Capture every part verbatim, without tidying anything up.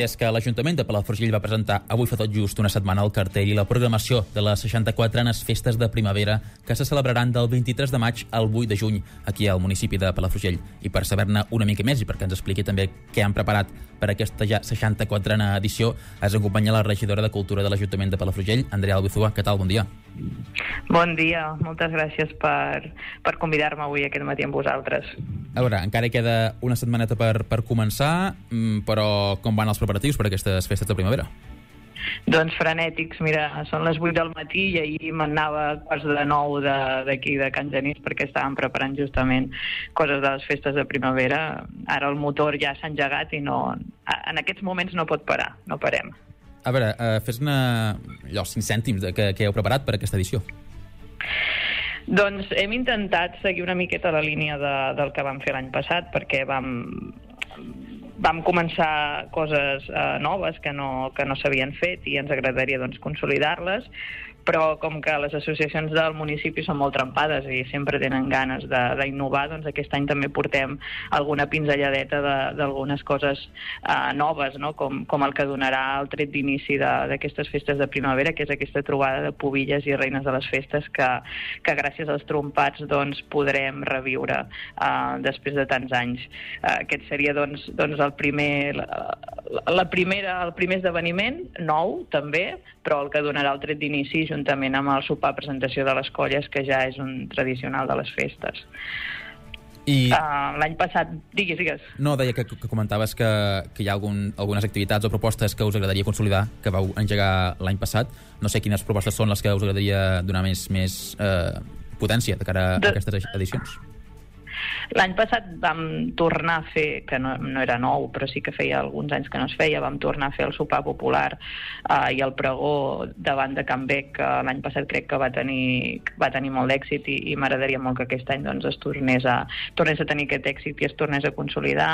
és que l'Ajuntament de Palafrugell va presentar avui fa tot just una setmana el cartell i la programació de les seixanta-quatrenes festes de primavera que se celebraran del vint-i-tres de maig al vuit de juny aquí al municipi de Palafrugell. I per saber-ne una mica més i perquè ens expliqui també què han preparat per aquesta ja seixanta-quatrena edició, ens acompanya la regidora de Cultura de l'Ajuntament de Palafrugell, Andrea Albizua. Què tal? Bon dia. Bon dia, moltes gràcies per, per convidar-me avui aquest matí amb vosaltres. A veure, encara queda una setmaneta per, per començar, però com van els preparatius per aquestes festes de primavera? Doncs frenètics, mira, són les vuit del matí i ahir m'anava a quarts de nou d'aquí de, de Can Genís perquè estàvem preparant justament coses de les festes de primavera. Ara el motor ja s'ha engegat i no, en aquests moments no pot parar, no parem. A veure, uh, fes-ne allò, cinc cèntims de que, que heu preparat per aquesta edició. Doncs hem intentat seguir una miqueta la línia de, del que vam fer l'any passat, perquè vam, vam començar coses eh, noves que no, que no s'havien fet i ens agradaria doncs, consolidar-les, però com que les associacions del municipi són molt trempades i sempre tenen ganes d'innovar, doncs aquest any també portem alguna pinzelladeta d'algunes coses eh, noves, no? com, com el que donarà el tret d'inici d'aquestes festes de primavera, que és aquesta trobada de pubilles i reines de les festes que, que gràcies als trompats doncs, podrem reviure eh, després de tants anys. Eh, aquest seria doncs, doncs el primer, la, la primera, el primer esdeveniment, nou també, però el que donarà el tret d'inici juntament amb el sopar presentació de les colles, que ja és un tradicional de les festes. I... Uh, L'any passat... Digues, digues. No, deia que, que comentaves que, que hi ha algun, algunes activitats o propostes que us agradaria consolidar, que vau engegar l'any passat. No sé quines propostes són les que us agradaria donar més, més eh, potència de cara a de... aquestes edicions. L'any passat vam tornar a fer, que no, no era nou, però sí que feia alguns anys que no es feia, vam tornar a fer el sopar popular eh, i el pregó davant de Can Bec, que l'any passat crec que va tenir, va tenir molt d'èxit i, i m'agradaria molt que aquest any doncs, es tornés a, tornés a tenir aquest èxit i es tornés a consolidar.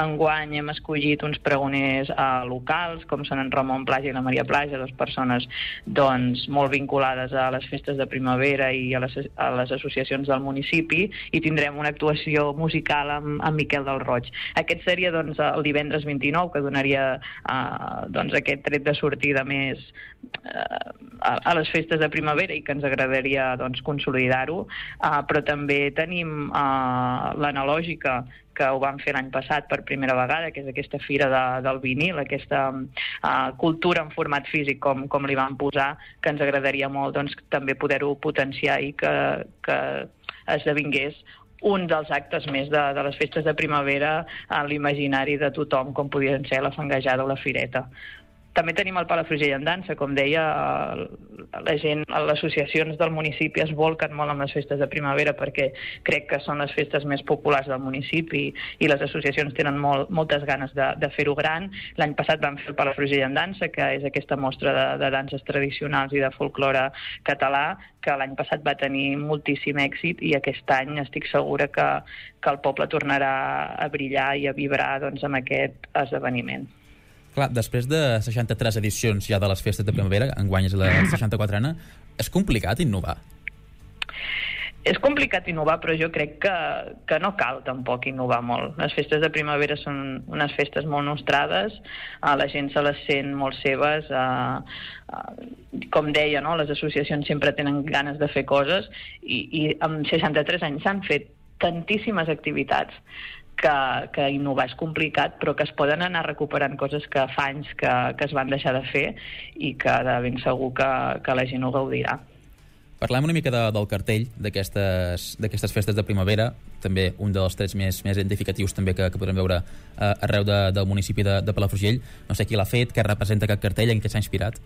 Enguany hem escollit uns pregoners eh, locals, com són en Ramon Plaja i la Maria Plaja, dues persones doncs, molt vinculades a les festes de primavera i a les, a les associacions del municipi, i tindrem una actuació musical amb, amb Miquel del Roig. Aquest seria doncs, el divendres vint-i-nou, que donaria eh, doncs, aquest tret de sortida més eh, a, a les festes de primavera i que ens agradaria doncs, consolidar-ho, eh, però també tenim eh, l'analògica, que ho vam fer l'any passat per primera vegada, que és aquesta fira de, del vinil, aquesta uh, cultura en format físic, com, com li vam posar, que ens agradaria molt doncs, també poder-ho potenciar i que, que esdevingués un dels actes més de, de les festes de primavera en l'imaginari de tothom, com podien ser la fangejada o la fireta. També tenim el Palafrugell en dansa, com deia, la gent, les associacions del municipi es volquen molt amb les festes de primavera perquè crec que són les festes més populars del municipi i les associacions tenen molt, moltes ganes de, de fer-ho gran. L'any passat vam fer el Palafrugell en dansa, que és aquesta mostra de, de danses tradicionals i de folklore català, que l'any passat va tenir moltíssim èxit i aquest any estic segura que, que el poble tornarà a brillar i a vibrar doncs, amb aquest esdeveniment. Clar, després de seixanta-tres edicions ja de les festes de primavera, enguany és la seixanta-quatrena, és complicat innovar? És complicat innovar, però jo crec que, que no cal tampoc innovar molt. Les festes de primavera són unes festes molt nostrades, eh, la gent se les sent molt seves, eh, eh, com deia, no? Les associacions sempre tenen ganes de fer coses i, i amb seixanta-tres anys s'han fet tantíssimes activitats que, que innovar és complicat, però que es poden anar recuperant coses que fa anys que, que es van deixar de fer i que de ben segur que, que la gent ho gaudirà. Parlem una mica de, del cartell d'aquestes festes de primavera, també un dels trets més, més identificatius també que, que podrem veure eh, arreu de, del municipi de, de Palafrugell. No sé qui l'ha fet, què representa aquest cartell, en què s'ha inspirat?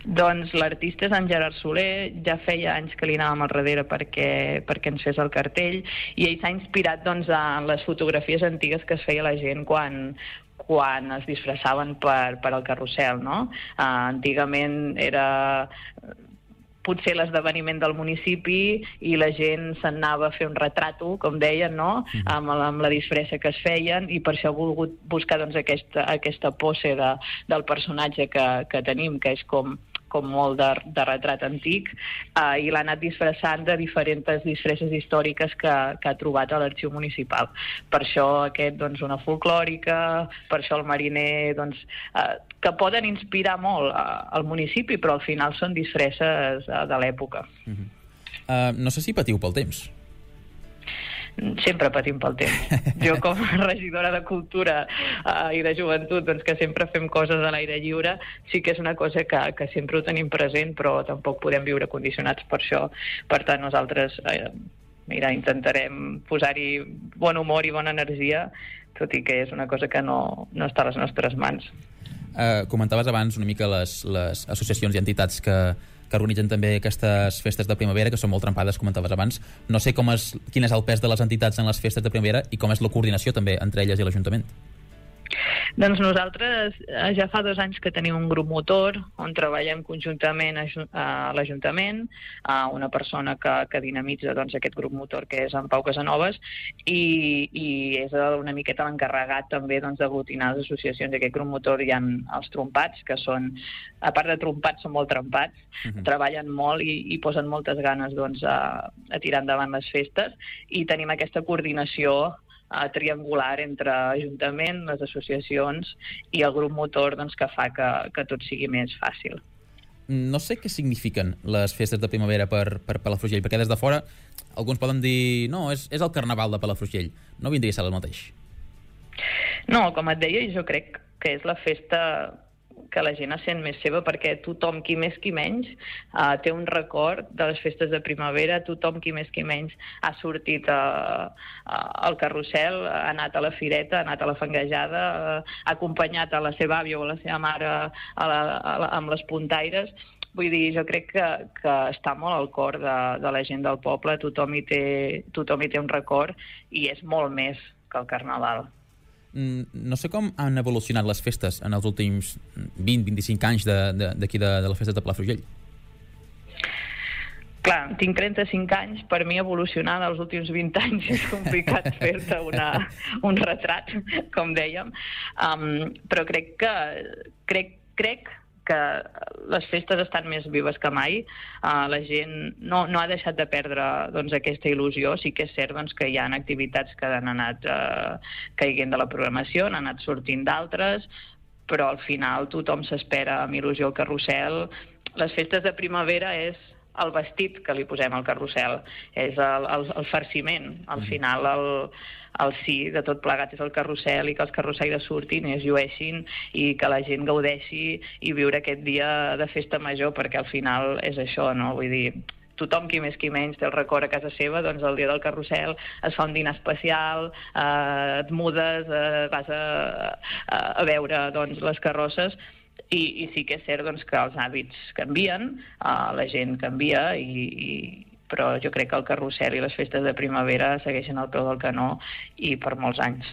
Doncs l'artista és en Gerard Soler, ja feia anys que li anàvem al darrere perquè, perquè ens fes el cartell i ell s'ha inspirat doncs, en les fotografies antigues que es feia la gent quan, quan es disfressaven per, per al carrusel, no? Uh, antigament era potser l'esdeveniment del municipi i la gent se'n anava a fer un retrato, com deien, no? Mm-hmm. amb, amb la disfressa que es feien, i per això he volgut buscar doncs, aquesta, aquesta pose de, del personatge que, que tenim, que és com com molt de, de retrat antic, uh, i l'ha anat disfressant de diferents disfresses històriques que, que ha trobat a l'arxiu municipal. Per això aquest, doncs, una folclòrica, per això el mariner, doncs, uh, que poden inspirar molt uh, al municipi, però al final són disfresses uh, de l'època. Uh-huh. uh, no sé si patiu pel temps. Sempre patim pel temps. Jo, com a regidora de Cultura uh, i de Joventut, doncs, que sempre fem coses a l'aire lliure, sí que és una cosa que, que sempre ho tenim present, però tampoc podem viure condicionats per això. Per tant, nosaltres eh, mira, intentarem posar-hi bon humor i bona energia, tot i que és una cosa que no, no està a les nostres mans. Uh, comentaves abans una mica les, les associacions i entitats que, que organitzen també aquestes festes de primavera, que són molt trempades, comentaves abans. No sé com és, quin és el pes de les entitats en les festes de primavera i com és la coordinació també entre elles i l'Ajuntament. Doncs nosaltres ja fa dos anys que tenim un grup motor on treballem conjuntament a l'Ajuntament, a una persona que, que dinamitza, doncs, aquest grup motor, que és en Pau Casanovas, i, i és una miqueta l'encarregat també, doncs, d'aglutinar les associacions. D'aquest grup motor hi ha els trompats, que són, a part de trompats, són molt trempats, uh-huh. treballen molt i, i posen moltes ganes, doncs, a, a tirar endavant les festes, i tenim aquesta coordinació Uh, triangular entre Ajuntament, les associacions i el grup motor, doncs, que fa que, que tot sigui més fàcil. No sé què signifiquen les festes de primavera per, per Palafrugell, perquè des de fora alguns poden dir no, és, és el Carnaval de Palafrugell. No vindria a ser el mateix? No, com et deia, jo crec que és la festa que la gent sent més seva, perquè tothom, qui més qui menys, uh, té un record de les festes de primavera, tothom, qui més qui menys, ha sortit uh, uh, al carrusel, ha anat a la fireta, ha anat a la fangejada, uh, ha acompanyat a la seva àvia o a la seva mare a la, a la, amb les puntaires. Vull dir, jo crec que, que està molt al cor de, de la gent del poble, tothom hi té, tothom hi té un record, i és molt més que el Carnaval. No sé com han evolucionat les festes en els últims vint a vint-i-cinc anys d'aquí de, de, de les festes de Palafrugell. Clar, tinc trenta-cinc anys, per mi evolucionar dels últims vint anys és complicat fer-te una, un retrat, com dèiem, um, però crec que crec, crec que les festes estan més vives que mai. Uh, la gent no, no ha deixat de perdre, doncs, aquesta il·lusió. Sí que és cert, doncs, que hi ha activitats que han anat uh, caiguent de la programació, han anat sortint d'altres, però al final tothom s'espera amb il·lusió al carrusel. Les festes de primavera és el vestit que li posem al carrusel, és el, el, el farciment. Al final el, el sí de tot plegat és el carrusel, i que els carrussaires surtin i es llueixin i que la gent gaudeixi i viure aquest dia de festa major, perquè al final és això, no? Vull dir, tothom, qui més qui menys, té el record a casa seva, doncs el dia del carrusel es fa un dinar especial, eh, et mudes, eh, vas a, a, a veure, doncs, les carrosses. I, i sí que és cert, doncs, que els hàbits canvien, uh, la gent canvia, i, i, però jo crec que el carrusel i les festes de primavera segueixen al peu del canó i per molts anys.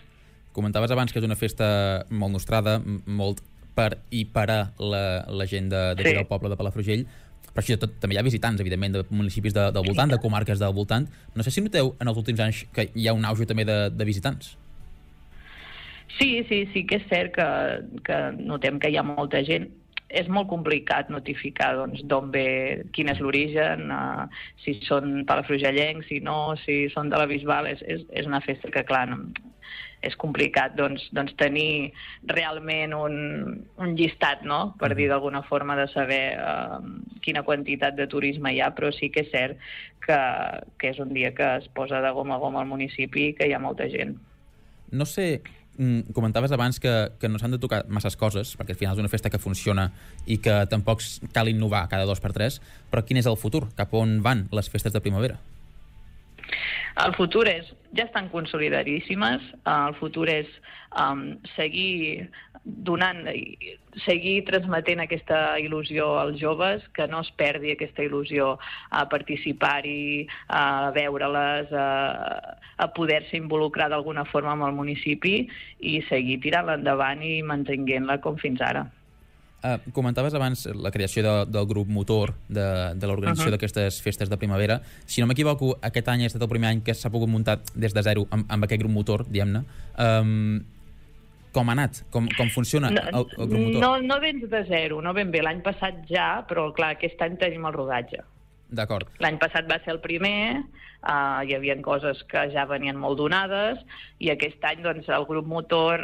Comentaves abans que és una festa molt nostrada, molt per i per a la, la gent de, de sí. del poble de Palafrugell, però així tot també hi ha visitants, evidentment, de municipis de, del voltant, de comarques del voltant. No sé si noteu en els últims anys que hi ha un auge també de, de visitants. Sí, sí, sí que és cert que, que notem que hi ha molta gent. És molt complicat notificar, doncs, d'on ve, quin és l'origen, uh, si són palafrugellencs, si no, si són de la Bisbal. És, és, és una festa que, clar, no, és complicat, doncs, doncs tenir realment un, un llistat, no?, per dir d'alguna forma, de saber uh, quina quantitat de turisme hi ha, però sí que és cert que, que és un dia que es posa de gom a gom al municipi i que hi ha molta gent. No sé... Mm, comentaves abans que, que no s'han de tocar masses coses, perquè al final és una festa que funciona i que tampoc cal innovar cada dos per tres, però quin és el futur? Cap on van les festes de primavera? El futur és, ja estan consolidadíssimes, el futur és um, seguir donant, seguir transmetent aquesta il·lusió als joves, que no es perdi aquesta il·lusió a participar-hi, a veure-les, a, a poder-se involucrar d'alguna forma amb el municipi i seguir tirant-la endavant i mantenint-la com fins ara. Uh, comentaves abans la creació de, del grup motor de, de l'organització uh-huh. d'aquestes festes de primavera. Si no m'equivoco, aquest any ha estat el primer any que s'ha pogut muntar des de zero amb, amb aquest grup motor, diguem-ne. Um, com ha anat? Com, com funciona no, el, el grup motor? No, no vens de zero, no ben bé. L'any passat ja, però clar, aquest any tenim el rodatge. D'acord. L'any passat va ser el primer, uh, hi havia coses que ja venien molt donades, i aquest any doncs, el grup motor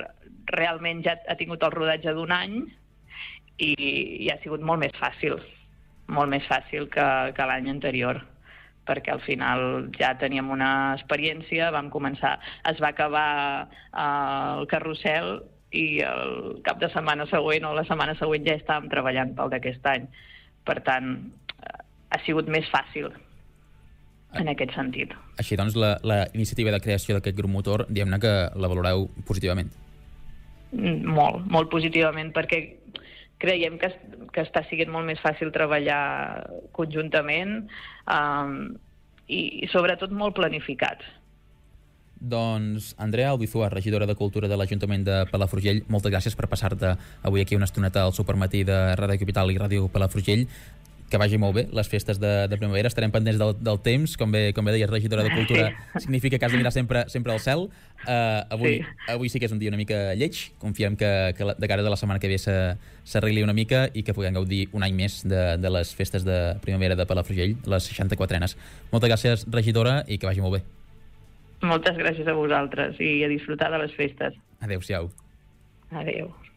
realment ja ha tingut el rodatge d'un any i, i ha sigut molt més fàcil, molt més fàcil que, que l'any anterior, perquè al final ja teníem una experiència, vam començar, es va acabar uh, el carrusel i el cap de setmana següent o la setmana següent ja estàvem treballant pel d'aquest any. Per tant, ha sigut més fàcil en aquest sentit. Així doncs, la, la iniciativa de creació d'aquest grup motor, diguem-ne que la valoreu positivament. Molt, molt positivament, perquè creiem que, que està sent molt més fàcil treballar conjuntament um, i, i sobretot molt planificat. Doncs, Andrea Albizua, regidora de Cultura de l'Ajuntament de Palafrugell, moltes gràcies per passar-te avui aquí una estoneta al Supermatí de Ràdio Capital i Ràdio Palafrugell. Que vagi molt bé les festes de, de primavera, estarem pendents del, del temps, com bé, com bé deies, regidora de Cultura, sí. Significa que has de mirar sempre, sempre al cel. Uh, avui, sí. avui sí que és un dia una mica lleig, confiem que, que la, de cara de la setmana que ve s'arregli una mica i que puguem gaudir un any més de, de les festes de primavera de Palafrugell, les seixanta-quatrenes. Moltes gràcies, regidora, i que vagi molt bé. Moltes gràcies a vosaltres i a disfrutar de les festes. Adéu-siau. Adéu.